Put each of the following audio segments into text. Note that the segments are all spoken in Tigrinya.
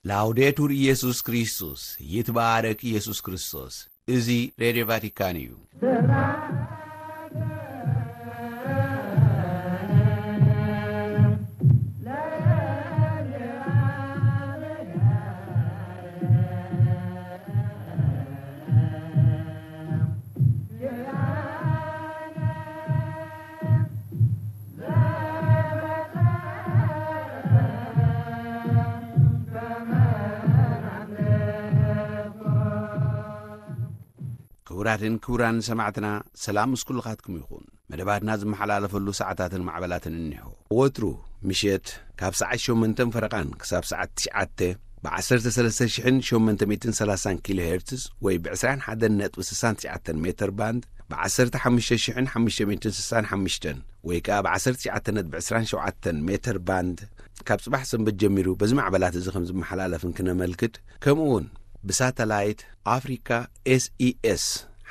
ላውዴቱር ኢየሱስ ክርስቶስ፣ ይትባረክ ኢየሱስ ክርስቶስ። እዚ ሬድዮ ቫቲካን እዩ። ክቡራትን ክቡራን ሰማዕትና፣ ሰላም ምስ ኩልኻትኩም ይኹን። መደባትና ዝመሓላለፈሉ ሰዓታትን ማዕበላትን እኒሆ። ወትሩ ምሸት ካብ ሰዓት ሸሞንተን ፈረቓን ክሳብ ሰዓት ትሽዓተ ብ ዓሰርተ ሰለስተ ሽሕን ሸሞንተ ሚእትን ሰላሳን ኪሎ ሄርትዝ ወይ ብ ዕስራን ሓደን ነጥቢ ስሳን ትሽዓተን ሜተር ባንድ፣ ብ ዓሰርተ ሓሙሽተ ሽሕን ሓሙሽተ ሚእትን ስሳን ሓሙሽተን ወይ ከኣ ብ ዓሰርተ ትሽዓተ ነጥቢ ዕስራን ሸውዓተን ሜተር ባንድ፣ ካብ ጽባሕ ሰንበት ጀሚሩ በዚ ማዕበላት እዚ ከም ዝመሓላለፍን ክነመልክት፣ ከምኡ እውን ብሳተላይት ኣፍሪካ ኤስኢኤስ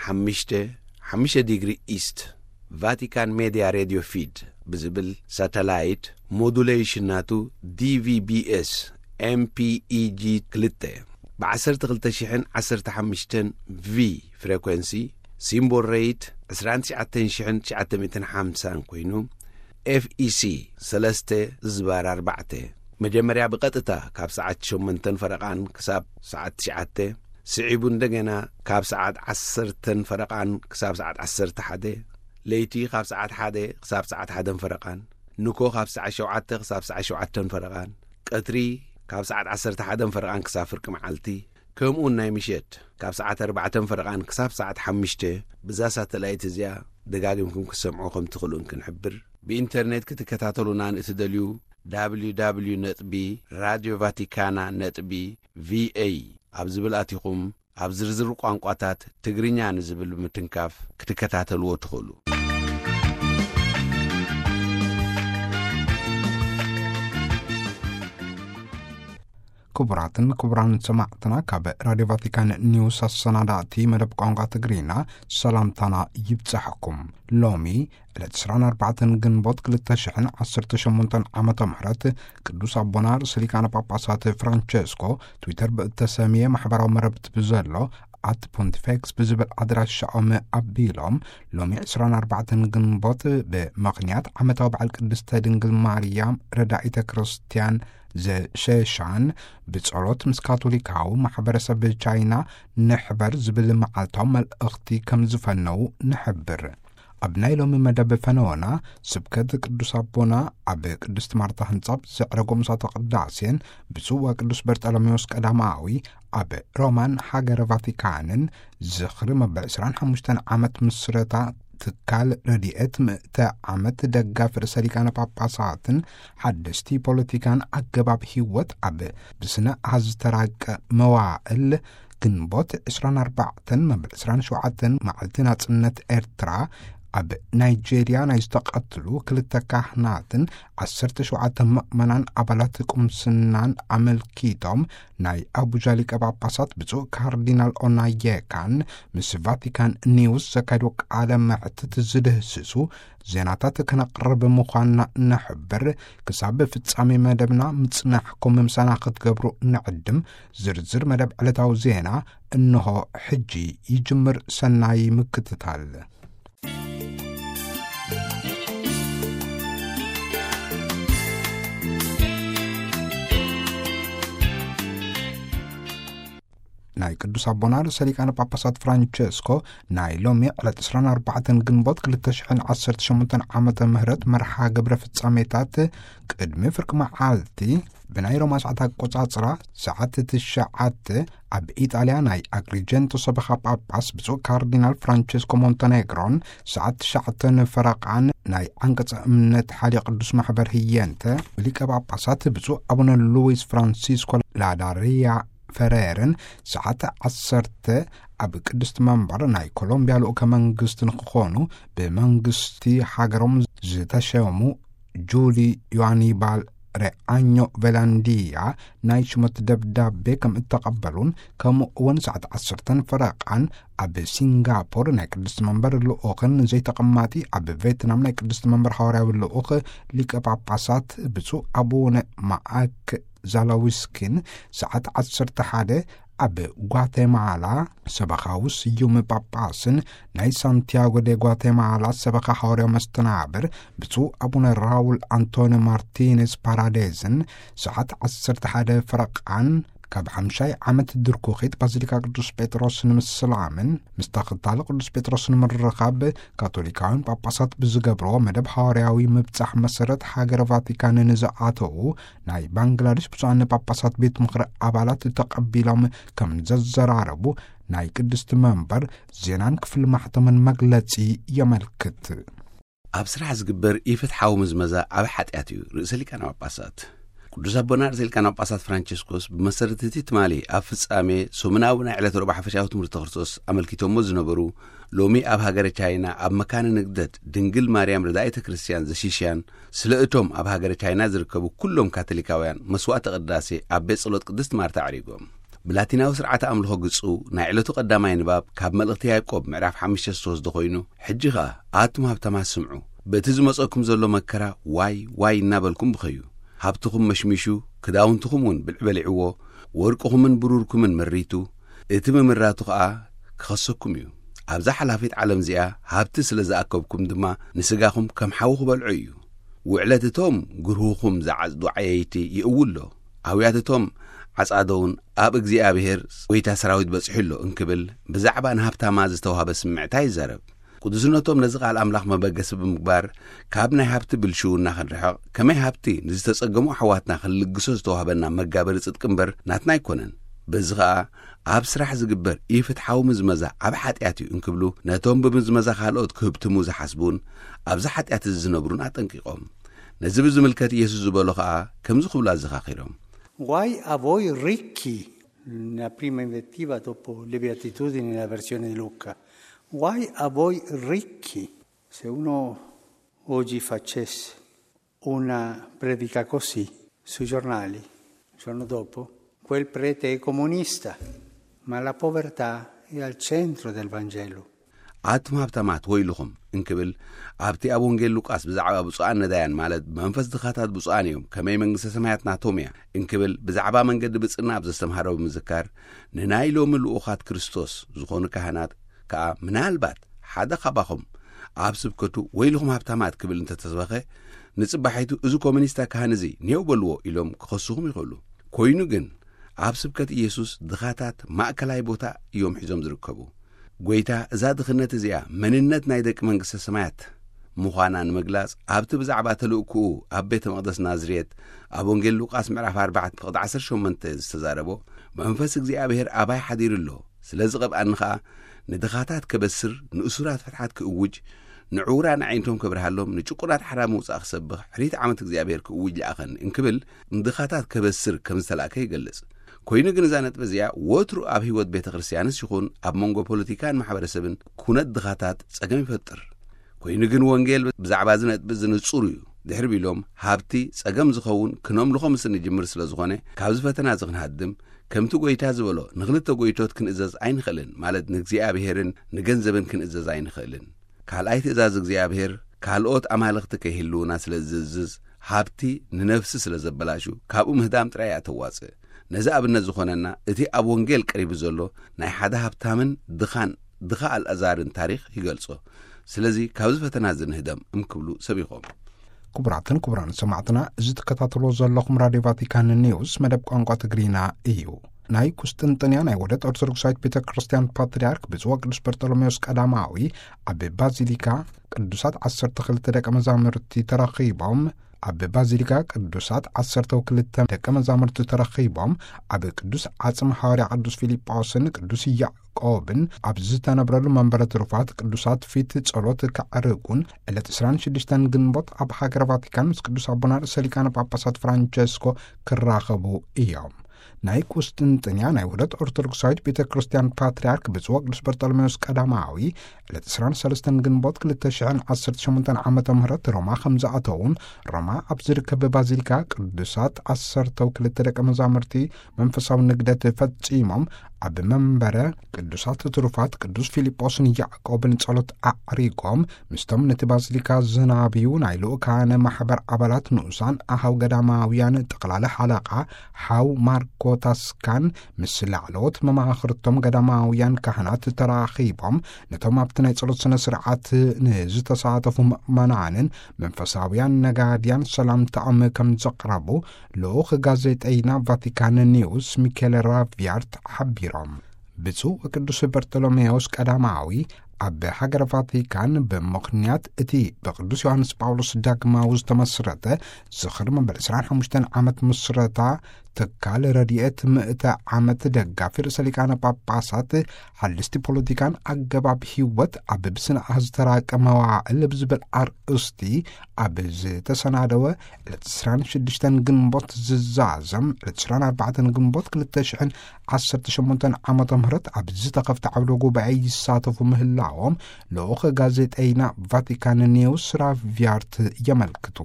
ሓሙሽተ፣ ሓሙሽተ ዲግሪ ኢስት፣ ቫቲካን ሜድያ ሬድዮ ፊድ ብዝብል ሳተላይት፣ ሞዱሌሽን ናቱ ዲቪቢኤስ ኤምፒኢጂ ክልተ፣ ብ ዓሰርተ ክልተ ሽሕን ዓሰርተ ሓሙሽተን ቪ ፍሬኮንሲ፣ ሲምቦል ሬይት ዕስራን ትሽዓተን ሽሕን ትሽዓተ ሚእትን ሓምሳን ኮይኑ፣ ኤፍኢሲ ሰለስተ ዝባር ኣርባዕተ፣ መጀመርያ ብቐጥታ ካብ ሰዓት ሸሞንተን ፈረቓን ክሳብ ሰዓት ትሽዓተ፣ ስዒቡ እንደገና ካብ ሰዓት ዓሰርተን ፈረቓን ክሳብ ሰዓት ዓሰርተ ሓደ፣ ለይቲ ካብ ሰዓት ሓደ ክሳብ ሰዓት ሓደን ፈረቓን፣ ንኮ ካብ ሰዓት ሸውዓተ ክሳብ ሰዓት ሸውዓተን ፈረቓን፣ ቀትሪ ካብ ሰዓት ዓሰርተ ሓደን ፈረቓን ክሳብ ፍርቂ መዓልቲ፣ ከምኡውን ናይ ምሸት ካብ ሰዓት ኣርባዕተን ፈረቓን ክሳብ ሰዓት ሓሙሽተ፣ ብዛ ሳተላይት እዚኣ ደጋጊምኩም ክትሰምዑ ከም ትኽእሉን ክንሕብር። ብኢንተርኔት ክትከታተሉና ንእትደልዩ፣ www ነጥቢ ራድዮ ቫቲካና ነጥቢ ቪኤ ኣብ ዝብል ኣቲኹም፣ ኣብ ዝርዝር ቋንቋታት ትግርኛ ንዝብል ብምትንካፍ ክትከታተልዎ ትኽእሉ። ክቡራትን ክቡራን ሰማዕትና፣ ካብ ራድዮ ቫቲካን ኒውስ ኣሰናዳእቲ መደብ ቋንቋ ትግርኛ ሰላምታና ይብጻሕኩም። ሎሚ ዕለት ዕስራን ኣርባዕተን ግንቦት ክልተ ሽሕን ዓሰርተ ሸሞንተን ዓመተ ምህረት፣ ቅዱስ ኣቦና ርእሰ ሊቃነ ጳጳሳት ፍራንቸስኮ ትዊተር ብእተሰምየ ማሕበራዊ መረብቲ ብዘሎ ኣት ፖንቲፌክስ ብዝብል ኣድራሻኦም ኣቢሎም፣ ሎሚ ዕስራን ኣርባዕተን ግንቦት ብምኽንያት ዓመታዊ በዓል ቅድስተ ድንግል ማርያም ረዳኢተ ክርስትያን ዘሸሻን ብጸሎት ምስ ካቶሊካዊ ማሕበረሰብ ቻይና ንሕበር ዝብል መዓልታዊ መልእኽቲ ከም ዝፈነዉ ንሕብር። ኣብ ናይ ሎሚ መደብ ፈነወና፣ ስብከት ቅዱስ ኣቦና ኣብ ቅድስት ማርታ ህንጻ ብዘዕረጎ ምሳተ ቅዳሴን ብጽዋ ቅዱስ በርጠሎሜዎስ ቀዳማዊ ኣብ ሮማን ሃገረ ቫቲካንን ዝኽሪ መበል ዕስራን ሓሙሽተን ዓመት ምስረታ ትካል ረድኤት ምእተ ዓመት ደጋፊ ርእሰ ሊቃነ ጳጳሳትን ሓደስቲ ፖለቲካን ኣገባብ ህይወት ኣብ ብስነ ኣሃዝ ዝተራቀ መዋእል ግንቦት ዕስራን ኣርባዕተን መበል ዕስራን ሸውዓተን መዓልቲ ናጽነት ኤርትራ ኣብ ናይጄርያ ናይ ዝተቐትሉ ክልተ ካህናትን ዓሰርተ ሸውዓተ ምእመናን ኣባላት ቁምስናን ኣመልኪቶም ናይ ኣቡጃ ሊቀ ጳጳሳት ብፁዕ ካርዲናል ኦናየካን ምስ ቫቲካን ኒውስ ዘካየድዎ ቃለ መሕትት ዝድህስሱ ዜናታት ከነቕርብ ምዃንና ነሕብር። ክሳብ ፍጻሜ መደብና ምጽናሕኩም ምሳና ክትገብሩ ንዕድም። ዝርዝር መደብ ዕለታዊ ዜና እንሆ ሕጂ ይጅምር። ሰናይ ምክትታል። ናይ ቅዱስ ኣቦና ርእሰ ሊቃነ ጳጳሳት ፍራንቸስኮ ናይ ሎሚ ዕለት ዕስራን ኣርባዕተን ግንቦት ክልተ ሽሕን ዓሰርተ ሸሞንተን ዓመተ ምህረት መርሓ ግብረ ፍጻሜታት ቅድሚ ፍርቂ መዓልቲ ብናይ ሮማ ሰዓት ኣቆጻጽራ ሰዓት ትሽዓተ ኣብ ኢጣልያ ናይ ኣግሪጀንቶ ሰበኻ ጳጳስ ብፁዕ ካርዲናል ፍራንቸስኮ ሞንተኔግሮን ሰዓት ትሽዓተ ንፈረቓን ናይ ዓንቀጸ እምነት ሓልዮ ቅዱስ ማሕበር ህየንተ ሊቀ ጳጳሳት ብፁዕ ኣቡነ ሉዊስ ፍራንሲስኮ ላዳሪያ ፈሬርን ሰዓት ዓሰርተ ኣብ ቅድስቲ መንበር ናይ ኮሎምቢያ ልኡከ መንግስቲ ንክኾኑ ብመንግስቲ ሃገሮም ዝተሸሙ ጁሊ ዮሃኒባል ሬኣኞ ቬላንዲያ ናይ ሽመት ደብዳቤ ከም እተቐበሉን፣ ከምኡ እውን ሰዓት ዓሰርተን ፈረቓን ኣብ ሲንጋፖር ናይ ቅድስቲ መንበር ልኡኽን ዘይተቐማጢ ኣብ ቬትናም ናይ ቅድስቲ መንበር ሃዋርያዊ ልኡኽ ሊቀ ጳጳሳት ብፁዕ ኣቡነ ማኣክ ዛላዊስኪን ሰዓት ዓሰርተ ሓደ ኣብ ጓቴማላ ሰበኻዊ ስዩም ጳጳስን ናይ ሳንቲያጎ ደ ጓቴማላ ሰበኻ ሃዋርያዊ መስተናብር ብፁዕ ኣቡነ ራውል ኣንቶኒ ማርቲኔዝ ፓራዴዝን ሰዓት ዓሰርተ ሓደ ፈረቓን ካብ ሓምሻይ ዓመት ድርኩኺት ባዚሊካ ቅዱስ ጴጥሮስ ንምስላምን ምስ ተኸታሊ ቅዱስ ጴጥሮስ ንምርኻብ ካቶሊካውያን ጳጳሳት ብዝገብርዎ መደብ ሃዋርያዊ ምብጻሕ መሰረት ሃገረ ቫቲካን ንዝኣተዉ ናይ ባንግላዴሽ ብፁዓን ጳጳሳት ቤት ምኽሪ ኣባላት ተቐቢሎም ከም ዘዘራረቡ ናይ ቅድስቲ መንበር ዜናን ክፍሊ ማሕተምን መግለጺ የመልክት። ኣብ ስራሕ ዝግበር ኢፍትሓዊ ምዝመዛ ዓቢ ሓጢኣት እዩ። ርእሰ ሊቃነ ጳጳሳት ቅዱስ ኣቦና ርእሰ ሊቃነ ጳጳሳት ፍራንቸስኮስ ብመሰረት እቲ ትማሊ ኣብ ፍጻሜ ሰሙናዊ ናይ ዕለት ረቡዕ ሓፈሻዊ ትምህርቲ ክርስቶስ ኣመልኪቶሞ ዝነበሩ፣ ሎሚ ኣብ ሃገረ ቻይና ኣብ መካነ ንግደት ድንግል ማርያም ረዳኢተ ክርስቲያን ዘሺሽያን ስለ እቶም ኣብ ሃገረ ቻይና ዝርከቡ ኩሎም ካቶሊካውያን መስዋዕተ ቅዳሴ ኣብ ቤት ጸሎት ቅድስት ማርታ ኣዕሪጎም። ብላቲናዊ ስርዓተ ኣምልኾ ግጹ ናይ ዕለቱ ቀዳማይ ንባብ ካብ መልእኽቲ ያዕቆብ ምዕራፍ ሓሙሽተ ዝተወስደ ኮይኑ፣ ሕጂ ኸኣ ኣቱም ሃብታማት ስምዑ፣ በቲ ዝመጸኩም ዘሎ መከራ ዋይ ዋይ እናበልኩም ብኸዩ። ሃብትኹም መሽሚሹ፣ ክዳውንትኹም እውን ብልዒ በሊዕዎ፣ ወርቅኹምን ብሩርኩምን መሪቱ፣ እቲ ምምራቱ ኸኣ ክኸሰኩም እዩ። ኣብዛ ሓላፊት ዓለም እዚኣ ሃብቲ ስለ ዝኣከብኩም ድማ ንስጋኹም ከም ሓዊ ክበልዖ እዩ። ውዕለት እቶም ግርሁኹም ዝዓጽዱ ዓየይቲ ይእው ኣሎ። ኣውያት እቶም ዓጻዶ እውን ኣብ እግዚኣብሔር ጎይታ ሰራዊት በጺሑ ኣሎ እንክብል ብዛዕባ ንሃብታማ ዝተዋህበ ስምዕታ ይዛረብ። ቅዱስነቶም ነዚ ቃል ኣምላኽ መበገሲ ብምግባር ካብ ናይ ሃብቲ ብልሽውና ክንርሕቕ፣ ከመይ ሃብቲ ንዝተጸገሙ ኣሕዋትና ክንልግሶ ዝተዋህበና መጋበሪ ጽድቂ እምበር ናትና ኣይኮነን። በዚ ኸኣ ኣብ ስራሕ ዝግበር ኢፍትሓዊ ምዝመዛ ዓቢ ሓጢኣት እዩ እንክብሉ ነቶም ብምዝመዛ ካልኦት ክህብትሙ ዝሓስቡን ኣብዚ ሓጢኣት እዚ ዝነብሩን ኣጠንቂቖም። ነዚ ብዝምልከት ኢየሱስ ዝበሎ ኸኣ ከምዚ ክብሉ ኣዘኻኺሮም። Guai a voi ricchi, la prima invettiva dopo le beatitudini nella versione di Luca. Guai a voi ricchi. Se uno oggi facesse una predica così sui giornali, il giorno dopo, quel prete è comunista, ma la povertà è al centro del Vangelo. ኣቱም ሃብታማት ወይልኹም እንክብል ኣብቲ ኣብ ወንጌል ሉቃስ ብዛዕባ ብፁዓን ነዳያን ማለት ብመንፈስ ድኻታት ብፁዓን እዮም ከመይ መንግስተ ሰማያት ናቶም እያ እንክብል ብዛዕባ መንገዲ ብጽና ኣብ ዘስተምሃሮ ብምዝካር ንናይ ሎሚ ልኡኻት ክርስቶስ ዝኾኑ ካህናት ከኣ ምናልባት ሓደ ካባኹም ኣብ ስብከቱ ወይልኹም ሃብታማት ክብል እንተተሰበኸ ንጽባሒቱ እዚ ኮሚኒስታ ካህን እዚ ኔው በልዎ ኢሎም ክኸስኹም ይኽእሉ። ኮይኑ ግን ኣብ ስብከት ኢየሱስ ድኻታት ማእከላይ ቦታ እዮም ሒዞም ዝርከቡ። ጎይታ እዛ ድኽነት እዚኣ መንነት ናይ ደቂ መንግስተ ሰማያት ምዃና ንምግላጽ ኣብቲ ብዛዕባ ተልእክኡ ኣብ ቤተ መቕደስ ናዝሬት ኣብ ወንጌል ሉቃስ ምዕራፍ ኣርባዕተ ፍቕዲ ዓሰርተ ሸሞንተ ዝተዛረቦ መንፈስ እግዚኣብሔር ኣባይ ሓዲሩ ኣሎ ስለዚ ቐብኣኒ ኸኣ ንድኻታት ከበስር ንእሱራት ፍትሓት ክእውጅ ንዕውራ ንዓይንቶም ከብርሃሎም ንጭቁናት ሓራ ምውጻእ ክሰብኽ ሕሪት ዓመት እግዚኣብሔር ክእውጅ ለኣኸኒ እንክብል ንድኻታት ከበስር ከም ዝተላእከ ይገልጽ። ኮይኑ ግን እዛ ነጥቢ እዚኣ ወትሩ ኣብ ህይወት ቤተ ክርስቲያንስ ይኹን ኣብ መንጎ ፖለቲካን ማሕበረሰብን ኩነት ድኻታት ጸገም ይፈጥር። ኮይኑ ግን ወንጌል ብዛዕባ እዚ ነጥቢ እዚ ንጹር እዩ። ድሕሪ ቢሎም ሃብቲ ጸገም ዝኸውን ክነምልኾ ምስ እንጅምር ስለ ዝኾነ ካብዚ ፈተና እዚ ክንሃድም ከምቲ ጎይታ ዝበሎ ንኽልተ ጎይቶት ክንእዘዝ ኣይንኽእልን ማለት ንእግዚኣብሔርን ንገንዘብን ክንእዘዝ ኣይንኽእልን። ካልኣይ ትእዛዝ እግዚኣብሔር ካልኦት ኣማልኽቲ ከይህልውና ስለ ዝእዝዝ ሃብቲ ንነፍሲ ስለ ዘበላሹ ካብኡ ምህዳም ጥራይ እያ ተዋጽእ። ነዚ ኣብነት ዝኾነና እቲ ኣብ ወንጌል ቀሪቡ ዘሎ ናይ ሓደ ሃብታምን ድኻን ድኻ ኣልኣዛርን ታሪኽ ይገልጾ። ስለዚ ካብዚ ፈተና እዚ ንህደም እምክብሉ ሰቢኾም። ክቡራትን ክቡራን ሰማዕትና እዚ ትከታተልዎ ዘለኹም ራድዮ ቫቲካን ኒውስ መደብ ቋንቋ ትግሪና እዩ። ናይ ቁስጥንጥንያ ናይ ወደት ኦርቶዶክሳዊት ቤተ ክርስቲያን ፓትርያርክ ብፁዕ ቅዱስ በርጠሎሜዎስ ቀዳማዊ ኣብ ባዚሊካ ቅዱሳት ዓሰርተ ክልተ ደቀ መዛሙርቲ ተረኺቦም ኣብ ባዚሊካ ቅዱሳት ዓሰርተ ክልተ ደቀ መዛሙርቲ ተረኺቦም ኣብ ቅዱስ ዓጽም ሓዋርያ ቅዱስ ፊልጶስን ቅዱስ ያዕቆብን ኣብ ዝተነብረሉ መንበረ ትሩፋት ቅዱሳት ፊት ጸሎት ከዕርጉን ዕለት ዕስራን ሽዱሽተን ግንቦት ኣብ ሃገረ ቫቲካን ምስ ቅዱስ ኣቦና ርእሰ ሊቃነ ጳጳሳት ፍራንቸስኮ ክራኸቡ እዮም። ናይ ቁስጥንጥንያ ናይ ውህደት ኦርቶዶክሳዊት ቤተ ክርስቲያን ፓትርያርክ ብፁዕ ወቅዱስ በርጠሎሜዎስ ቀዳማዊ ዕለት ዕስራን ሰለስተን ግንቦት ክልተ ሽሕን ዓሰርተ ሸሞንተን ዓመተ ምህረት ሮማ ከም ዝኣተውን ሮማ ኣብ ዝርከብ ባዚሊካ ቅዱሳት ዓሰርተው ክልተ ደቀ መዛሙርቲ መንፈሳዊ ንግደት ፈጺሞም ኣብ መንበረ ቅዱሳት ትሩፋት ቅዱስ ፊልጶስን ያዕቆብን ጸሎት ኣዕሪጎም፣ ምስቶም ነቲ ባዚሊካ ዝናብዩ ናይ ልኡካነ ማሕበር ኣባላት ንኡሳን ኣሃው ገዳማውያን ጠቕላሊ ሓለቓ ሓው ማርኮ ታስካን ምስ ላዕለዎት መማኽርቶም ገዳማውያን ካህናት ተራኺቦም፣ ነቶም ኣብቲ ናይ ጸሎት ስነ ስርዓት ንዝተሳተፉ ምእመናንን መንፈሳውያን ነጋድያን ሰላምታኦም ከም ዘቕረቡ ልኡኽ ጋዜጠይና ቫቲካን ኒውስ ሚኬል ራቪያርት ሓቢሮም። ብፁዕ ወቅዱስ በርቶሎሜዎስ ቀዳማዊ ኣብ ሃገረ ቫቲካን ብምኽንያት እቲ ብቅዱስ ዮሃንስ ጳውሎስ ዳግማዊ ዝተመስረተ ዝኽሪ መበል ዕስራን ሓሙሽተን ዓመት ምስረታ ትካል ረድኤት ምእተ ዓመት ደጋፊ ርእሰ ሊቃነ ጳጳሳት ሓልስቲ ፖለቲካን ኣገባብ ህይወት ኣብ ብስነ ኣሃዝ ዝተራቀ መዋዕል ብዝብል ኣርእስቲ ኣብ ዝተሰናደወ ዕለት ዕስራን ሽዱሽተን ግንቦት ዝዛዘም ዕለት ዕስራን ኣርባዕተን ግንቦት ክልተ ሽሕን ዓሰርተ ሸሞንተን ዓመተ ምህረት ኣብ ዝተኸፍተ ዓውደ ጉባኤ ይሳተፉ ምህላዎም ልኡኽ ጋዜጠይና ቫቲካን ኒውስ ራቪያርት የመልክቱ።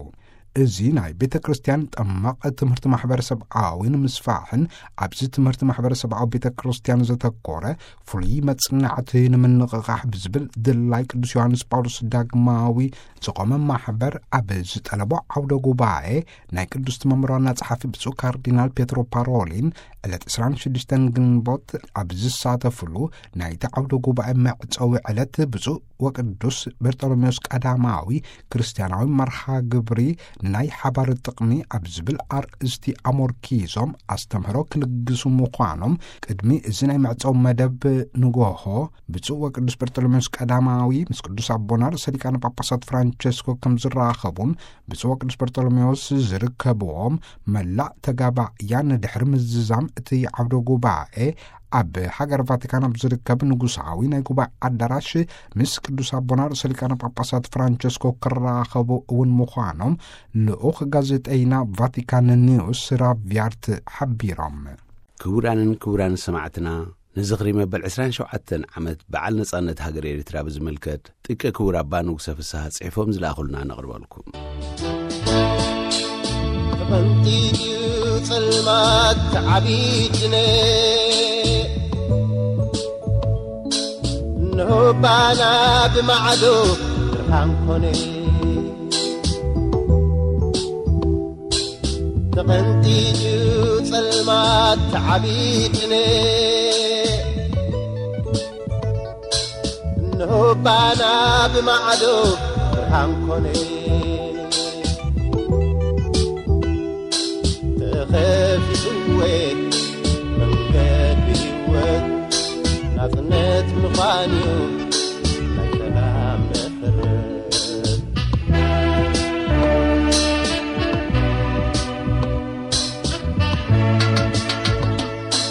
እዚ ናይ ቤተ ክርስቲያን ጠማቕ ትምህርቲ ማሕበረሰብኣዊ ንምስፋሕን ኣብዚ ትምህርቲ ማሕበረሰብኣዊ ቤተ ክርስቲያን ዘተኮረ ፍሉይ መጽናዕቲ ንምንቕቓሕ ብዝብል ድላይ ቅዱስ ዮሃንስ ጳውሎስ ዳግማዊ ዝቖመ ማሕበር ኣብ ዝጠለቦ ዓውደ ጉባኤ ናይ ቅዱስ መምር ዋና ጸሓፊ ብፁዕ ካርዲናል ፔትሮ ፓሮሊን ዕለት ዕስራን ሽዱሽተን ግንቦት ኣብ ዝሳተፍሉ ናይቲ ዓውደ ጉባኤ መዕጸዊ ዕለት ብፁዕ ወቅዱስ በርጦሎሜዎስ ቀዳማዊ ክርስቲያናዊ መርሃ ግብሪ ንናይ ሓባር ጥቕሚ ኣብ ዝብል ኣርእስቲ ኣሞርኪዞም ኣስተምህሮ ክልግሱ ምዃኖም ቅድሚ እዚ ናይ መዕጸዊ መደብ ንጎሆ ብፁዕ ወቅዱስ በርጦሎሜዎስ ቀዳማዊ ምስ ቅዱስ ኣቦና ርእሰ ሊቃነ ጳጳሳት ፍራንቸስኮ ከም ዝራኸቡን ብፁዕ ወቅዱስ በርጦሎሜዎስ ዝርከብዎም መላእ ተጋባእያን ድሕሪ ምዝዛም እቲ ዓውደ ጉባኤ ኣብ ሃገር ቫቲካን ኣብ ዝርከብ ንጉሳዊ ናይ ጉባኤ ኣዳራሽ ምስ ቅዱስ ኣቦና ርእሰ ሊቃነ ጳጳሳት ፍራንቸስኮ ክራኸቡ እውን ምዃኖም ልኡኽ ጋዜጠይና ቫቲካን ኒውስ ራቪያርት ሓቢሮም። ክቡራንን ክቡራን ሰማዕትና፣ ንዝኽሪ መበል ዕስራን ሸውዓተን ዓመት በዓል ነጻነት ሃገር ኤርትራ ብዝምልከት፣ ጥቀ ክቡር ኣባ ንጉሰ ፍስሃ ጽሒፎም ዝለኣኹልና ነቕርበልኩም። ተቐንጢጥዩ ጸልማት ተዓቢድነ፣ እንሆ ባና ብማዕዶ ብርሃን ኮነ። ተቐንጢጥዩ ጸልማት ተዓቢድነ፣ እንሆ ባና ብማዕዶ ብርሃን ኮነ። ተኸፊትወ መንገዲ ህይወት ናጽነት ምዃንዩ ናይ ሰላም መሰረት።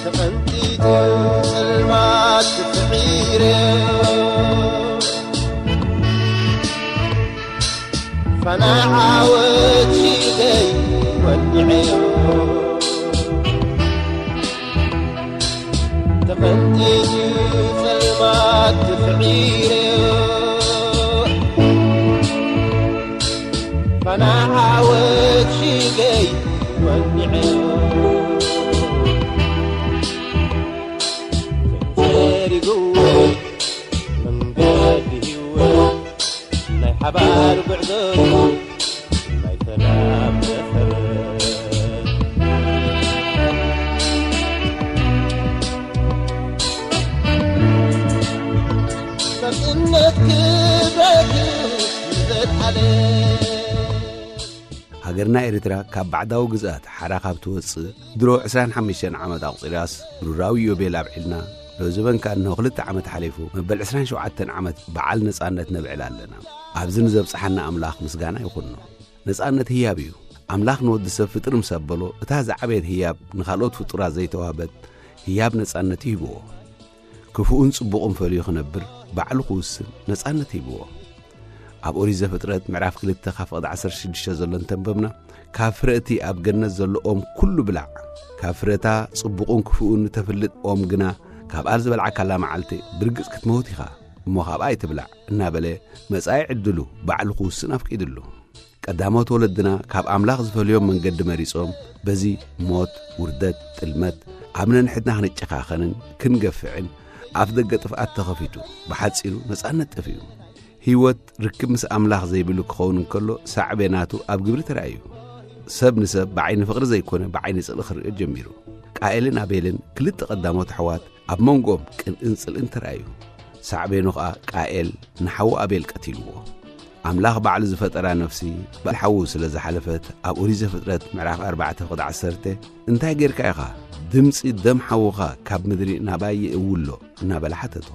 ተቐንጢጡ ጸልማት ስዒረ፣ ፋና ዓወት ሽደይ ወዲዐዮ። ተቐንጢጡ ጸልማት ስዒረ፣ ፋና ዓወት ሽደይ ወዲዐዮ። ተዘሪግዎ መንገዲ ህይወት ናይ ሓባር ጉዕዞ ናይ ሰላም መሰረት። ናጽነት ክብረቱ ንዘለዓለም። ሃገርና ኤርትራ ካብ ባዕዳዊ ግዝኣት ሓራ ካብ ትወጽእ ድሮ ዕስራን ሓሙሽተን ዓመት ኣቑጺራስ፣ ብሩራዊ ዮቤል ኣብዒልና፣ ሎዘበን ከኣ እንሆ ክልተ ዓመት ሓሊፉ፣ መበል ዕስራን ሸውዓተን ዓመት በዓል ነጻነት ነብዕል ኣለና። ኣብዚ ንዘብጽሓና ኣምላኽ ምስጋና ይኹኖ። ነጻነት ህያብ እዩ። ኣምላኽ ንወዲ ሰብ ፍጥር ምስ ኣበሎ፣ እታ ዝዓበየት ህያብ ንኻልኦት ፍጡራት ዘይተዋህበት ህያብ ነጻነት እዩ ሂብዎ። ክፉእን ጽቡቕን ፈልዩ ክነብር ባዕሉ ክውስን ነጻነት ሂብዎ። ኣብ ኦሪት ዘፍጥረት ምዕራፍ ክልተ ካብ ፍቕዲ ዓሰርተ ሽዱሽተ ዘሎ እንተንበብና፣ ካብ ፍረ እቲ ኣብ ገነት ዘሎ ኦም ኩሉ ብላዕ፣ ካብ ፍረታ ጽቡቕን ክፉእን እተፍልጥ ኦም ግና፣ ካብኣ ዝበልዓካላ መዓልቲ ብርግጽ ክትመውት ኢኻ፣ እሞ ካብኣ ኣይትብላዕ እናበለ መጻኢ ዕድሉ ባዕሉ ክውስን ኣፍቂድሉ። ቀዳሞት ወለድና ካብ ኣምላኽ ዝፈልዮም መንገዲ መሪጾም፣ በዚ ሞት፣ ውርደት፣ ጥልመት፣ ኣብ ነንሕድና ክንጨኻኸንን ክንገፍዕን ኣፍ ደገ ጥፍኣት ተኸፊቱ። ብሓጺሩ ነጻነት ጠፊኡ። ህይወት ርክብ ምስ ኣምላኽ ዘይብሉ ክኸውን እንከሎ፣ ሳዕቤ ናቱ ኣብ ግብሪ ተራእዩ። ሰብ ንሰብ ብዓይኒ ፍቕሪ ዘይኮነ ብዓይኒ ጽልኢ ክርእዮ ጀሚሩ። ቃኤልን ኣቤልን ክልተ ቀዳሞት ኣሕዋት ኣብ መንጎኦም ቅንእን ጽልእን ተራእዩ። ሳዕቤኑ ኸኣ ቃኤል ንሓዉ ኣቤል ቀቲልዎ። ኣምላኽ ባዕሉ ዝፈጠራ ነፍሲ ብሓዉ ስለ ዝሓለፈት፣ ኣብ ኦሪት ዘፍጥረት ምዕራፍ ኣርባዕተ ፍቕዲ ዓሰርተ፣ "እንታይ ጌርካ ኢኻ? ድምጺ ደም ሓውኻ ካብ ምድሪ ናባይ ይእውሎ?" እናበላ ሓተቶ።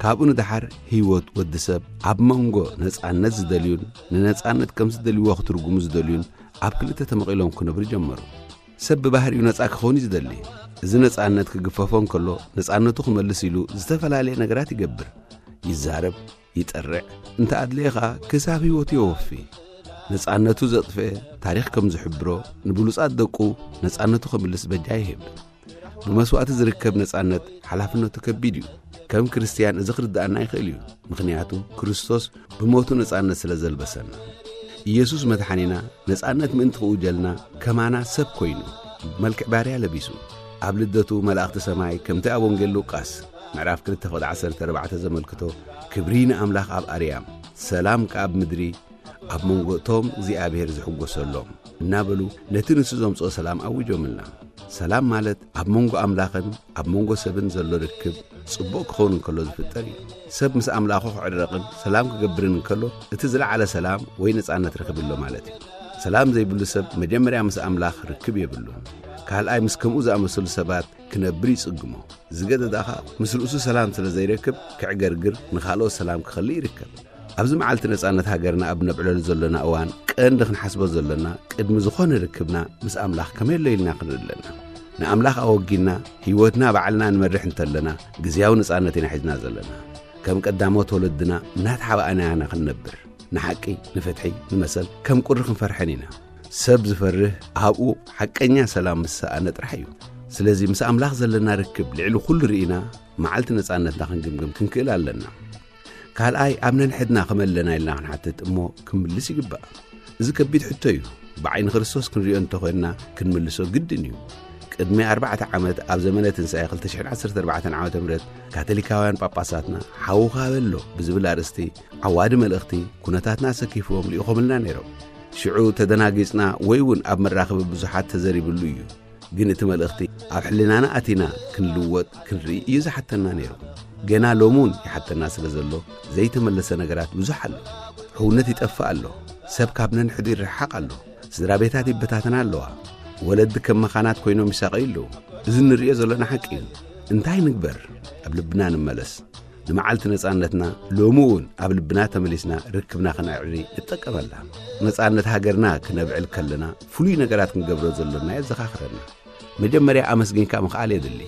ካብኡ ንደሓር ህይወት ወዲ ሰብ ኣብ መንጎ ነጻነት ዝደልዩን ንነጻነት ከም ዝደልይዎ ክትርጉሙ ዝደልዩን ኣብ ክልተ ተመቒሎም ክነብሩ ጀመሩ። ሰብ ብባህሪኡ ነጻ ክኸውን እዩ ዝደሊ። እዚ ነጻነት ክግፈፎ እንከሎ፣ ነጻነቱ ክመልስ ኢሉ ዝተፈላለየ ነገራት ይገብር፣ ይዛረብ፣ ይጠርዕ፣ እንተ ኣድለየ ኸኣ ክሳብ ህይወቱ የወፊ። ነጻነቱ ዘጥፍአ ታሪኽ ከም ዝሕብሮ፣ ንብሉጻት ደቁ ነጻነቱ ክምልስ በጃ ይህብ። ብመስዋእቲ ዝርከብ ነጻነት ሓላፍነቱ ከቢድ እዩ። ከም ክርስትያን እዚ ክርድኣና ይኽእል እዩ፣ ምኽንያቱ ክርስቶስ ብሞቱ ነጻነት ስለ ዘልበሰና። ኢየሱስ መድሓኒና ነጻነት ምእንቲ ክእውጀልና ከማና ሰብ ኮይኑ፣ ብመልክዕ ባርያ ለቢሱ። ኣብ ልደቱ መላእኽቲ ሰማይ ከምቲ ኣብ ወንጌል ሉቃስ ምዕራፍ ክልተ ፍቕዲ ዓሰርተ ኣርባዕተ ዘመልክቶ፣ "ክብሪ ንኣምላኽ ኣብ ኣርያም፣ ሰላም ከኣ ኣብ ምድሪ ኣብ መንጎ እቶም እግዚኣብሔር ዝሕጎሰሎም" እናበሉ ነቲ ንሱ ዘምጽኦ ሰላም ኣዊጆምልና። ሰላም ማለት ኣብ መንጎ ኣምላኽን ኣብ መንጎ ሰብን ዘሎ ርክብ ጽቡቕ ክኸውን እንከሎ ዝፍጠር እዩ። ሰብ ምስ ኣምላኹ ክዕረቕን ሰላም ክገብርን እንከሎ፣ እቲ ዝለዓለ ሰላም ወይ ነጻነት ረኺቡ ኣሎ ማለት እዩ። ሰላም ዘይብሉ ሰብ መጀመርያ ምስ ኣምላኽ ርክብ የብሉን። ካልኣይ ምስ ከምኡ ዝኣመሰሉ ሰባት ክነብር ይጽግሞ። ዝገደደ ኸኣ ምስ ርእሱ ሰላም ስለ ዘይረክብ ክዕገርግር፣ ንኻልኦት ሰላም ክኸልእ ይርከብ። ኣብዚ መዓልቲ ነጻነት ሃገርና ኣብ ነብዕለሉ ዘሎና እዋን ቀንዲ ክንሓስቦ ዘሎና ቅድሚ ዝኾነ ርክብና ምስ ኣምላኽ ከመይ ኣሎ ኢልና ክንርኢ ኣለና። ንኣምላኽ ኣወጊና ህይወትና ባዕልና ንመርሕ እንተለና ግዝያዊ ነጻነት ኢና ሒዝና ዘለና። ከም ቀዳሞት ወለድና እናተሓባእና ኢና ክንነብር። ንሓቂ፣ ንፍትሒ፣ ንመሰል ከም ቁሪ ክንፈርሐን ኢና። ሰብ ዝፈርህ ኣብኡ ሓቀኛ ሰላም ምስ ሰኣነ ጥራሕ እዩ። ስለዚ ምስ ኣምላኽ ዘለና ርክብ ልዕሊ ኩሉ ርኢና መዓልቲ ነጻነትና ክንግምግም ክንክእል ኣለና። ካልኣይ ኣብ ነንሕድና ከመይ ኣለና ኢልና ክንሓትት እሞ ክምልስ ይግባእ። እዚ ከቢድ ሕቶ እዩ። ብዓይኒ ክርስቶስ ክንሪኦ እንተኾይንና ክንምልሶ ግድን እዩ። ቅድሚ ኣርባዕተ ዓመት ኣብ ዘመነ ትንሳኤ ክልተ ሽሕን ዓሰርተ ኣርባዕተን ዓመተ ምህረት ካቶሊካውያን ጳጳሳትና ሓውኻ በሎ ብዝብል ኣርእስቲ ዓዋዲ መልእኽቲ ኩነታትና ኣሰኪፍዎም ልኢኾምልና ነይሮም። ሽዑ ተደናጊጽና ወይ እውን ኣብ መራኸቢ ብዙሓት ተዘሪብሉ እዩ። ግን እቲ መልእኽቲ ኣብ ሕልናና ኣቲና ክንልወጥ ክንርኢ እዩ ዝሓተና ነይሩ። ገና ሎሚ እውን ይሓተና ስለ ዘሎ ዘይተመለሰ ነገራት ብዙሕ ኣሎ። ሕውነት ይጠፍእ ኣሎ። ሰብ ካብ ነንሕዱ ይረሓቕ ኣሎ። ስድራ ቤታት ይበታተና ኣለዋ። ወለዲ ከም መኻናት ኮይኖም ይሳቐዩ ኣለዉ። እዚ እንርእዮ ዘለና ሓቂ እዩ። እንታይ ንግበር? ኣብ ልብና ንመለስ። ንመዓልቲ ነጻነትና ሎሚ እውን ኣብ ልብና ተመሊስና ርክብና ክነዕሪ ንጠቀመላ። ነጻነት ሃገርና ክነብዕል ከለና ፍሉይ ነገራት ክንገብሮ ዘሎና የዘኻኽረና። መጀመርያ ኣመስጊንካ ምኽኣል የድሊ።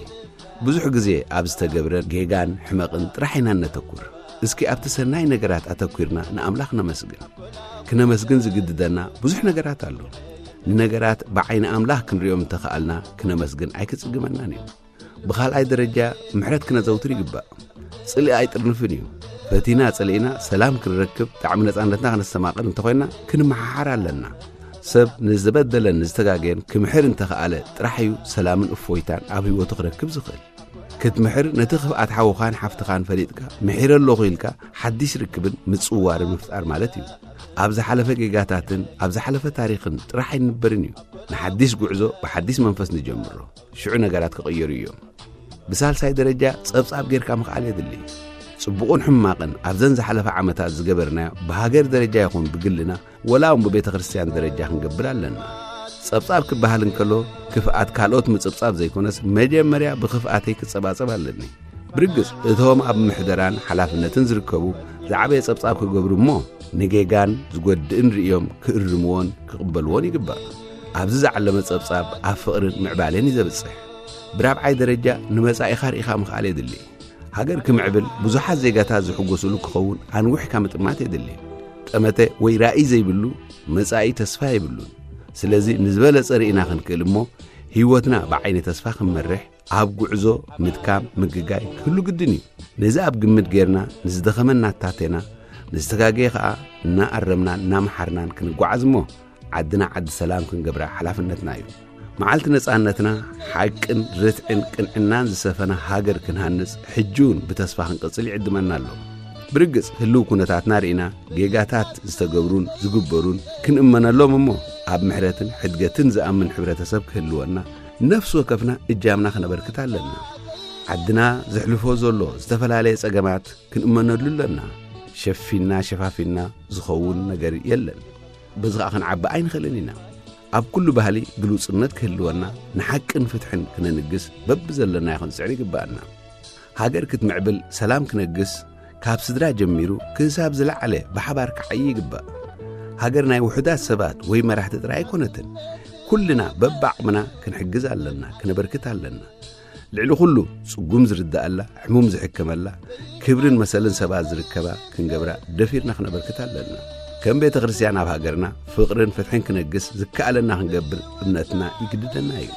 ብዙሕ ግዜ ኣብ ዝተገብረ ጌጋን ሕመቕን ጥራሕ ኢና እነተኩር። እስኪ ኣብቲ ሰናይ ነገራት ኣተኲርና ንኣምላኽ ነመስግን። ክነመስግን ዝግድደና ብዙሕ ነገራት ኣሎ። ንነገራት ብዓይኒ ኣምላኽ ክንሪኦም እንተኸኣልና ክነመስግን ኣይክጽግመናን እዩ። ብኻልኣይ ደረጃ ምሕረት ክነዘውትር ይግባእ። ጽልኢ ኣይጥርንፍን እዩ። ፈቲና ጸሊእና ሰላም ክንረክብ ጣዕሚ ነጻነትና ክነስተማቕር እንተኾይና ክንመሓሓር ኣለና። ሰብ ንዝበደለን ንዝተጋገየን ክምሕር እንተኸኣለ ጥራሕ እዩ ሰላምን እፎይታን ኣብ ህይወቱ ክረክብ ዝኽእል። ክትምሕር ነቲ ክፍኣት ሓውኻን ሓፍትኻን ፈሊጥካ ምሒረ ኣለኹ ኢልካ ሓዲስ ርክብን ምጽውዋርን ምፍጣር ማለት እዩ። ኣብ ዝሓለፈ ጌጋታትን ኣብ ዝሓለፈ ታሪኽን ጥራሕ ኣይንበርን እዩ። ንሓዲስ ጉዕዞ ብሓዲስ መንፈስ ንጀምሮ። ሽዑ ነገራት ክቕየሩ እዮም። ብሳልሳይ ደረጃ ጸብጻብ ጌርካ ምኽኣል የድሊ። ጽቡቕን ሕማቕን ኣብዘን ዝሓለፈ ዓመታት ዝገበርናዮ ብሃገር ደረጃ ይኹን ብግልና ወላ እውን ብቤተ ክርስቲያን ደረጃ ክንገብር ኣለና። ጸብጻብ ክበሃል እንከሎ ክፍኣት ካልኦት ምጽብጻብ ዘይኮነስ መጀመርያ ብኽፍኣተይ ክጸባጸብ ኣለኒ። ብርግጽ እቶም ኣብ ምሕደራን ሓላፍነትን ዝርከቡ ዝዓበየ ጸብጻብ ክገብሩ እሞ ንጌጋን ዝጎድእን ርእዮም ክእርምዎን ክቕበልዎን ይግባእ። ኣብዚ ዝዓለመ ጸብጻብ ኣብ ፍቕርን ምዕባለን እዩ ዘብጽሕ። ብራብዓይ ደረጃ ንመጻኢኻ ርኢኻ ምኽኣል የድሊ። ሃገር ክምዕብል ብዙሓት ዜጋታት ዝሕጎስሉ ክኸውን ኣንዊሕካ ምጥማት የድሊ። ጠመተ ወይ ራእይ ዘይብሉ መጻኢ ተስፋ የብሉን። ስለዚ ንዝበለጸ ርኢና ክንክእል እሞ ህይወትና ብዓይኒ ተስፋ ክንመርሕ ኣብ ጉዕዞ ምድካም ምግጋይ ክህሉ ግድን እዩ። ነዚ ኣብ ግምት ጌርና ንዝደኸመ እናታቴና ንዝተጋገየ ኸኣ እናኣረምናን እናመሓርናን ክንጓዓዝ እሞ ዓድና ዓዲ ሰላም ክንገብራ ሓላፍነትና እዩ። መዓልቲ ነጻነትና ሓቅን ርትዕን ቅንዕናን ዝሰፈና ሃገር ክንሃንጽ ሕጂ እውን ብተስፋ ክንቅጽል ይዕድመና ኣሎ። ብርግጽ ህልው ኩነታትና ርኢና ጌጋታት ዝተገብሩን ዝግበሩን ክንእመነሎም እሞ ኣብ ምሕረትን ሕድገትን ዝኣምን ሕብረተሰብ ክህልወና ነፍሲ ወከፍና እጃምና ክነበርክት ኣለና። ዓድና ዘሕልፎ ዘሎ ዝተፈላለየ ጸገማት ክንእመነሉ ኣለና። ሸፊና ሸፋፊና ዝኸውን ነገር የለን። በዚ ኸዓ ክንዓቢ ኣይንኽእልን ኢና። ኣብ ኩሉ ባህሊ ግሉጽነት ክህልወና፣ ንሓቅን ፍትሕን ክነንግስ በብዘለናዮ ክንጽዕር ይግብኣና። ሃገር ክትምዕብል፣ ሰላም ክነግስ፣ ካብ ስድራ ጀሚሩ ክሳብ ዝለዓለ ብሓባር ክዓዪ ይግባእ። ሃገር ናይ ውሑዳት ሰባት ወይ መራሕቲ ጥራይ ኣይኮነትን። ኩልና በብዓቕምና ክንሕግዝ ኣለና፣ ክነበርክት ኣለና። ልዕሊ ኩሉ ጽጉም ዝርድኣላ፣ ሕሙም ዝሕከመላ፣ ክብርን መሰልን ሰባት ዝርከባ ክንገብራ ደፊርና ክነበርክት ኣለና። ከም ቤተ ክርስቲያን ኣብ ሃገርና ፍቕርን ፍትሕን ክነግስ ዝከኣለና ክንገብር እምነትና ይግድደና እዩ።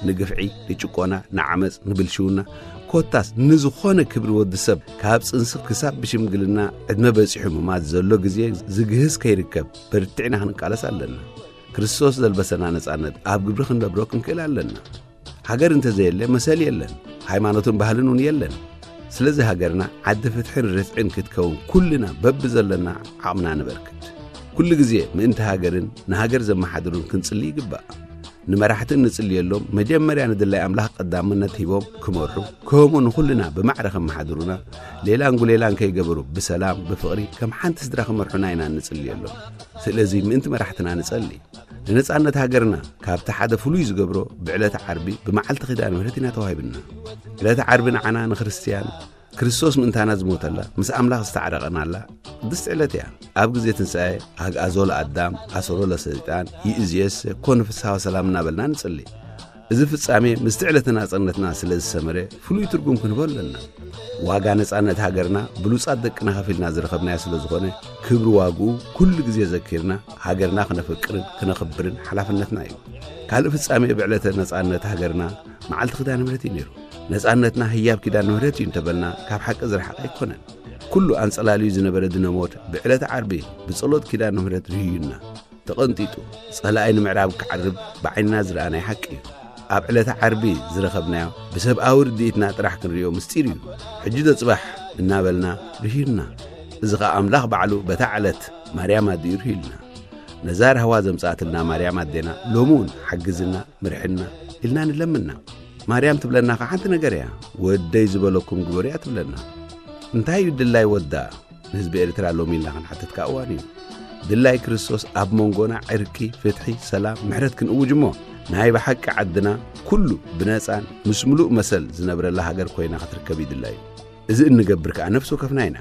ንግፍዒ፣ ንጭቆና፣ ንዓመጽ፣ ንብልሽውና፣ ኮታስ ንዝኾነ ክብሪ ወዲ ሰብ ካብ ጽንሲ ክሳብ ብሽምግልና ዕድመ በጺሑ ምማት ዘሎ ግዜ ዝግህስ ከይርከብ በርቲዕና ክንቃለስ ኣለና። ክርስቶስ ዘልበሰና ነጻነት ኣብ ግብሪ ክንነብሮ ክንክእል ኣለና። ሃገር እንተዘየለ መሰል የለን፣ ሃይማኖትን ባህልን እውን የለን። ስለዚ ሃገርና ዓዲ ፍትሕን ርትዕን ክትከውን ኩልና በብዘለና ዓቕምና ንበርክት። ኩሉ ግዜ ምእንቲ ሃገርን ንሃገር ዘመሓድሩን ክንጽሊ ይግባእ። ንመራሕትን ንጽልየሎም መጀመርያ ንድላይ ኣምላኽ ቀዳምነት ሂቦም ክመርሑ፣ ከምኡ ንኹልና ብማዕረ ከመሓድሩና፣ ሌላን ጉሌላን ከይገበሩ ብሰላም ብፍቕሪ ከም ሓንቲ ስድራ ክመርሑና ኢና እንጽልየሎም። ስለዚ ምእንቲ መራሕትና ንጸሊ። ንነጻነት ሃገርና ካብቲ ሓደ ፍሉይ ዝገብሮ ብዕለተ ዓርቢ ብመዓልቲ ኪዳነ ምሕረት ኢና ተዋሂብና። ዕለተ ዓርቢ ንዓና ንክርስትያን ክርስቶስ ምእንታና ዝሞተላ፣ ምስ ኣምላኽ ዝተዓረቐናላ ቅድስቲ ዕለት እያ። ኣብ ግዜ ትንሳኤ ኣግኣዞ ለኣዳም ኣሰሮ ለሰይጣን ይእዝየስ ኮን ፍስሓ ወሰላም እናበልና ንጽሊ። እዚ ፍጻሜ ምስቲ ዕለተ ናጽነትና ስለ ዝሰመረ ፍሉይ ትርጉም ክንህቦ ኣለና። ዋጋ ነጻነት ሃገርና ብሉጻት ደቅና ከፊልና ዝረኸብናዮ ስለ ዝኾነ ክብሪ ዋግኡ ኩሉ ግዜ ዘኪርና ሃገርና ክነፈቅርን ክነኽብርን ሓላፍነትና እዩ። ካልእ ፍጻሜ ብዕለተ ነጻነት ሃገርና መዓልቲ ኪዳነ ምሕረት እዩ ነይሩ። ነጻነትና ህያብ ኪዳነ ምሕረት እዩ እንተበልና ካብ ሓቂ ዝረሓቐ ኣይኮነን። ኩሉ ኣንጸላልዩ ዝነበረ ድነሞት ብዕለተ ዓርቢ ብጸሎት ኪዳነ ምሕረት ርህዩና። ተቐንጢጡ፣ ጸላኢ ንምዕራብ ክዓርብ ብዓይንና ዝረኣናዮ ሓቂ እዩ። ኣብ ዕለተ ዓርቢ ዝረኸብናዮ ብሰብኣዊ ርድኢትና ጥራሕ ክንርእዮ ምስጢር እዩ። ሕጂ ዶ ጽባሕ እናበልና ርሂርና። እዚ ኸኣ ኣምላኽ ባዕሉ በታ ዕለት ማርያም ኣዲኡ ርሂልና። ነዛ ራህዋ ዘምጽኣትልና ማርያም ኣዴና ሎሚ እውን ሓግዝና፣ ምርሕና ኢልና ንለምና። ማርያም ትብለና ኸዓ ሓንቲ ነገር እያ። ወደይ ዝበለኩም ግበሩ እያ ትብለና። እንታይ እዩ ድላይ ወዳ? ንህዝቢ ኤርትራ ሎሚ ኢልና ክንሓትት ከኣ እዋን እዩ። ድላይ ክርስቶስ ኣብ መንጎና ዕርቂ፣ ፍትሒ፣ ሰላም፣ ምሕረት ክንእውጅ እሞ፣ ናይ ብሓቂ ዓድና ኩሉ ብነጻን ምስ ምሉእ መሰል ዝነብረላ ሃገር ኮይና ክትርከብ እዩ ድላዩ። እዚ እንገብር ከኣ ነፍሲ ወከፍና ኢና።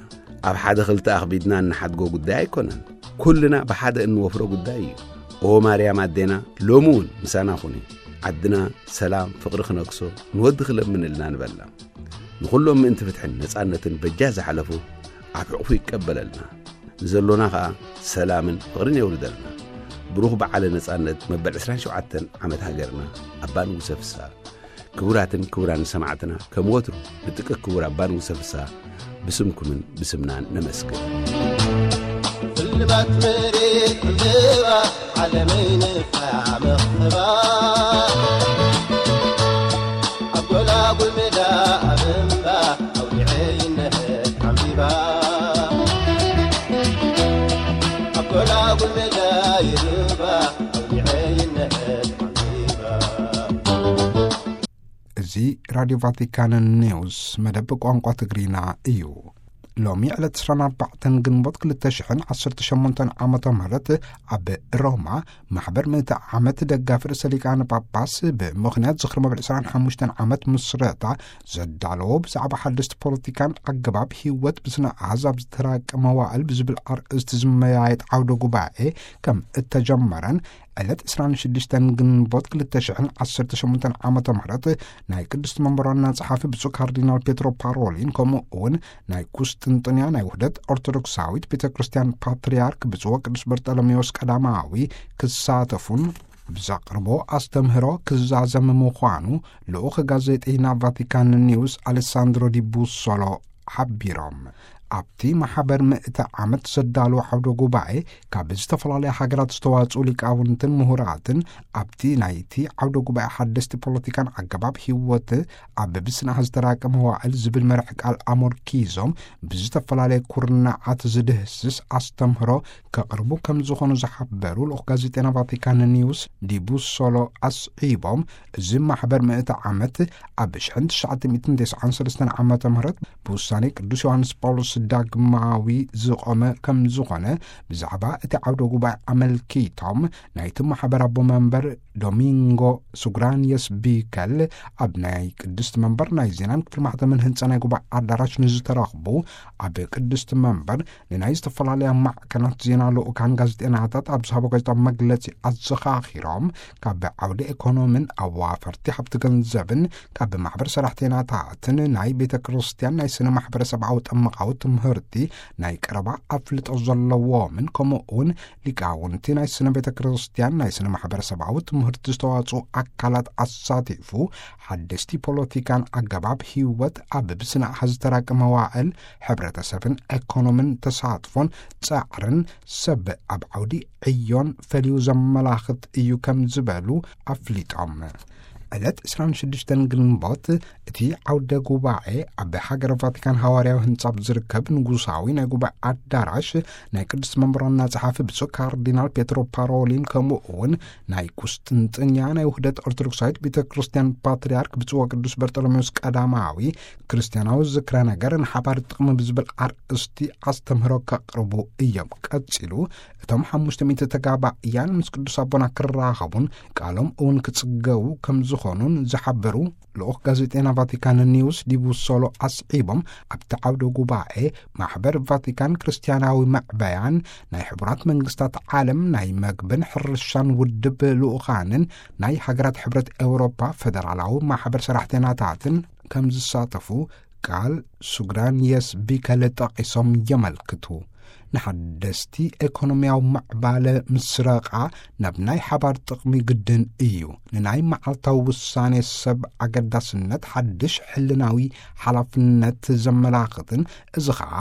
ኣብ ሓደ ክልተ ኣኽቢድና እንሓድጎ ጉዳይ ኣይኮነን። ኩልና ብሓደ እንወፍሮ ጉዳይ እዩ። ኦ ማርያም ኣዴና፣ ሎሚ እውን ምሳና ኩኒ። ዓድና ሰላም፣ ፍቕሪ ክነግሶ ንወዲ ክለምን እልና ንበላ። ንኹሎም ምእንቲ ፍትሕን ነጻነትን በጃ ዝሓለፉ ኣብ ሕቑፉ ይቀበለልና። ንዘሎና ኸኣ ሰላምን ፍቕርን የውርደልና። ብሩኽ በዓለ ነጻነት መበል ዕስራን ሸውዓተን ዓመት ሃገርና ኣባ ንጉሰ ፍስሃ። ክቡራትን ክቡራን ሰማዕትና፣ ከም ወትሩ ንጥቂ ክቡር ኣባ ንጉሰ ፍስሃ ብስምኩምን ብስምናን ነመስግን። ስልማት መሬት ዕምባባ ዓለመይ ንፋያ መኽተባ ኣብ ጎላጉል ሜዳ ኣብ እምባ ኣውሊዐ ይነሀት ዓምቢባ ኣብ ጎላጉል ሜዳ ይርባ ኣውሊዐ ይነሀት ዓምቢባ። እዚ ራድዮ ቫቲካን ኒውስ መደብ ቋንቋ ትግርኛ እዩ። ሎሚ ዕለት ዕስራን ኣርባዕተን ግንቦት ክልተ ሽሕን ዓሰርተ ሸሞንተን ዓመተ ምህረት ኣብ ሮማ ማሕበር ምእቲ ዓመት ደጋፊ ርእሰ ሊቃነ ጳጳስ ብምኽንያት ዝኽሪ መበል ዕስራን ሓሙሽተን ዓመት ምስረታ ዘዳለዎ ብዛዕባ ሓደስቲ ፖለቲካን ኣገባብ ህይወት ብስነ ኣሃዝ ኣብ ዝተራቀ መዋእል ብዝብል ኣርእስቲ ዝመያየጥ ዓውደ ጉባኤ ከም እተጀመረን ዕለት ዕስራን ሽዱሽተን ግንቦት ክልተ ሽሕን ዓሰርተ ሸሞንተን ዓመተ ምህረት ናይ ቅድስቲ መንበር ዋና ጸሓፊ ብፁዕ ካርዲናል ፔትሮ ፓሮሊን ከምኡ እውን ናይ ቁስጥንጥንያ ናይ ውህደት ኦርቶዶክሳዊት ቤተ ክርስቲያን ፓትርያርክ ብፁዕ ወቅዱስ በርጠሎሜዎስ ቀዳማዊ ክሳተፉን ብዘቕርቦ ኣስተምህሮ ክዛዘም ምዃኑ ልኡኽ ጋዜጠይና ቫቲካን ኒውስ ኣሌሳንድሮ ዲ ቡሶሎ ሓቢሮም። ኣብቲ ማሕበር ምእተ ዓመት ዘዳለወ ዓውደ ጉባኤ፣ ካብ ዝተፈላለያ ሃገራት ዝተዋጽኡ ሊቃውንትን ምሁራትን ኣብቲ ናይቲ ዓውደ ጉባኤ ሓደስቲ ፖለቲካን ኣገባብ ህይወት ኣብ ብስንዓ ዝተራቀ መዋዕል ዝብል መርሕ ቃል ኣሞርኪዞም፣ ብዝተፈላለየ ኩርናዓት ዝድህስስ ኣስተምህሮ ከቕርቡ ከም ዝኾኑ ዝሓበሩ ልኡኽ ጋዜጠና ቫቲካን ኒውስ ዲቡሶሎ ኣስዒቦም፣ እዚ ማሕበር ምእተ ዓመት ኣብ ሽሕን ትሽዓተ ሚእትን ተስዓን ሰለስተን ዓመተ ምህረት ብውሳኔ ቅዱስ ዮሃንስ ጳውሎስ ዳግማዊ ዝቖመ ከም ዝኾነ ብዛዕባ እቲ ዓውደ ጉባኤ ኣመልኪቶም፣ ናይቲ ማሕበር ኣቦ መንበር ዶሚንጎ ሱግራንየስ ቢከል ኣብ ናይ ቅድስቲ መንበር ናይ ዜናን ክፍሊ ማሕተምን ህንጻ ናይ ጉባኤ ኣዳራሽ ንዝተረኽቡ ኣብ ቅድስቲ መንበር ንናይ ዝተፈላለያ ማዕከናት ዜና ልኡካን ጋዜጠናታት ኣብ ዝሃቦ ጋዜጣዊ መግለጺ ኣዘኻኺሮም፣ ካብ ዓውዲ ኤኮኖምን ኣዋፈርቲ ሃብቲ ገንዘብን ካብ ማሕበር ሰራሕተኛታትን ናይ ቤተ ክርስቲያን ናይ ስነ ማሕበረሰብኣዊ ጠመቃዊ ትምህርቲ ናይ ቀረባ ኣፍልጦ ዘለዎምን ከምኡ እውን ሊቃውንቲ ናይ ስነ ቤተ ክርስቲያን ናይ ስነ ማሕበረሰብኣዊ ትምህርቲ ዝተዋጽኡ ኣካላት ኣሳቲፉ ሓደስቲ ፖለቲካን ኣገባብ ህይወት ኣብ ብስነ ኣሃዝ ዝተራቀ መዋዕል ሕብረተሰብን ኤኮኖምን ተሳትፎን ጻዕርን ሰብ ኣብ ዓውዲ ዕዮን ፈልዩ ዘመላኽት እዩ ከም ዝበሉ ኣፍሊጦም። ዕለት ዕስራን ሽዱሽተን ግንቦት እቲ ዓውደ ጉባኤ ኣብ ሃገረ ቫቲካን ሃዋርያዊ ህንጻ ኣብ ዝርከብ ንጉሳዊ ናይ ጉባኤ ኣዳራሽ ናይ ቅዱስ መንበር ዋና ጸሓፊ ብፁዕ ካርዲናል ፔትሮ ፓሮሊን ከምኡ እውን ናይ ቁስጥንጥንያ ናይ ውህደት ኦርቶዶክሳዊት ቤተ ክርስቲያን ፓትርያርክ ብፁዕ ወቅዱስ በርጠሎሜዎስ ቀዳማዊ ክርስቲያናዊ ዝክረ ነገር ንሓባር ጥቕሚ ብዝብል ኣርእስቲ ኣስተምህሮ ከቕርቡ እዮም። ቀጺሉ እቶም ሓሙሽተ ሚእቲ ተጋባእያን ምስ ቅዱስ ኣቦና ክራኸቡን ቃሎም እውን ክጽገቡ ከም ዝኾኑን ዝሓበሩ ልኡኽ ጋዜጠና ቫቲካን ኒውስ ዲቡሶሎ ኣስዒቦም፣ ኣብቲ ዓውደ ጉባኤ ማሕበር ቫቲካን ክርስቲያናዊ መዕበያን ናይ ሕቡራት መንግስታት ዓለም ናይ መግብን ሕርሻን ውድብ ልኡኻንን ናይ ሃገራት ሕብረት ኤውሮፓ ፌደራላዊ ማሕበር ሰራሕተኛታትን ከም ዝሳተፉ ቃል ሱግራንየስ ቢከለ ጠቒሶም የመልክቱ። ንሓደስቲ ኤኮኖሚያዊ ምዕባለ ምስረቓ ናብ ናይ ሓባር ጥቕሚ ግድን እዩ። ንናይ መዓልታዊ ውሳኔ ሰብ ኣገዳስነት ሓድሽ ሕልናዊ ሓላፍነት ዘመላኽትን፣ እዚ ኸኣ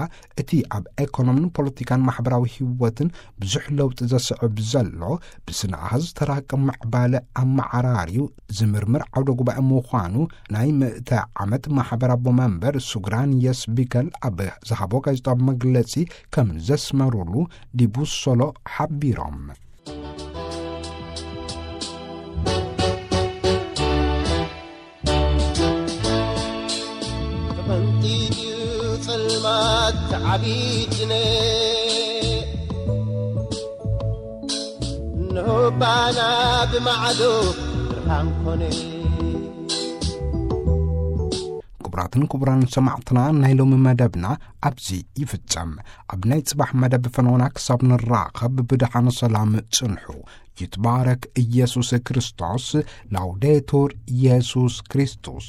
እቲ ኣብ ኤኮኖምን ፖለቲካን ማሕበራዊ ህይወትን ብዙሕ ለውጢ ዘስዕብ ዘሎ ብስነ ኣሃዝ ዝተራቀ ምዕባለ ኣመዓራርዩ ዝምርምር ዓውደ ጉባኤ ምዃኑ ናይ ምእተ ዓመት ማሕበር ኣቦ መንበር ሱግራንየስ ቢከል ኣብ ዝሃቦ ጋዜጣዊ መግለጺ ከም ዘስመሩሉ ዲቡሶሎ ሓቢሮም። ተቐንጢጥዩ ጸልማት ዓቢድነ፣ እንሆ ባና ብማዕዶ ብርሃን ኮነ። ክቡራትን ክቡራን ሰማዕትና፣ ናይ ሎሚ መደብና ኣብዚ ይፍጸም። ኣብ ናይ ጽባሕ መደብ ፈኖና ክሳብ ንራኸብ ብደሓን ሰላም ጽንሑ። ይትባረክ ኢየሱስ ክርስቶስ። ላውዴቱር ኢየሱስ ክርስቶስ።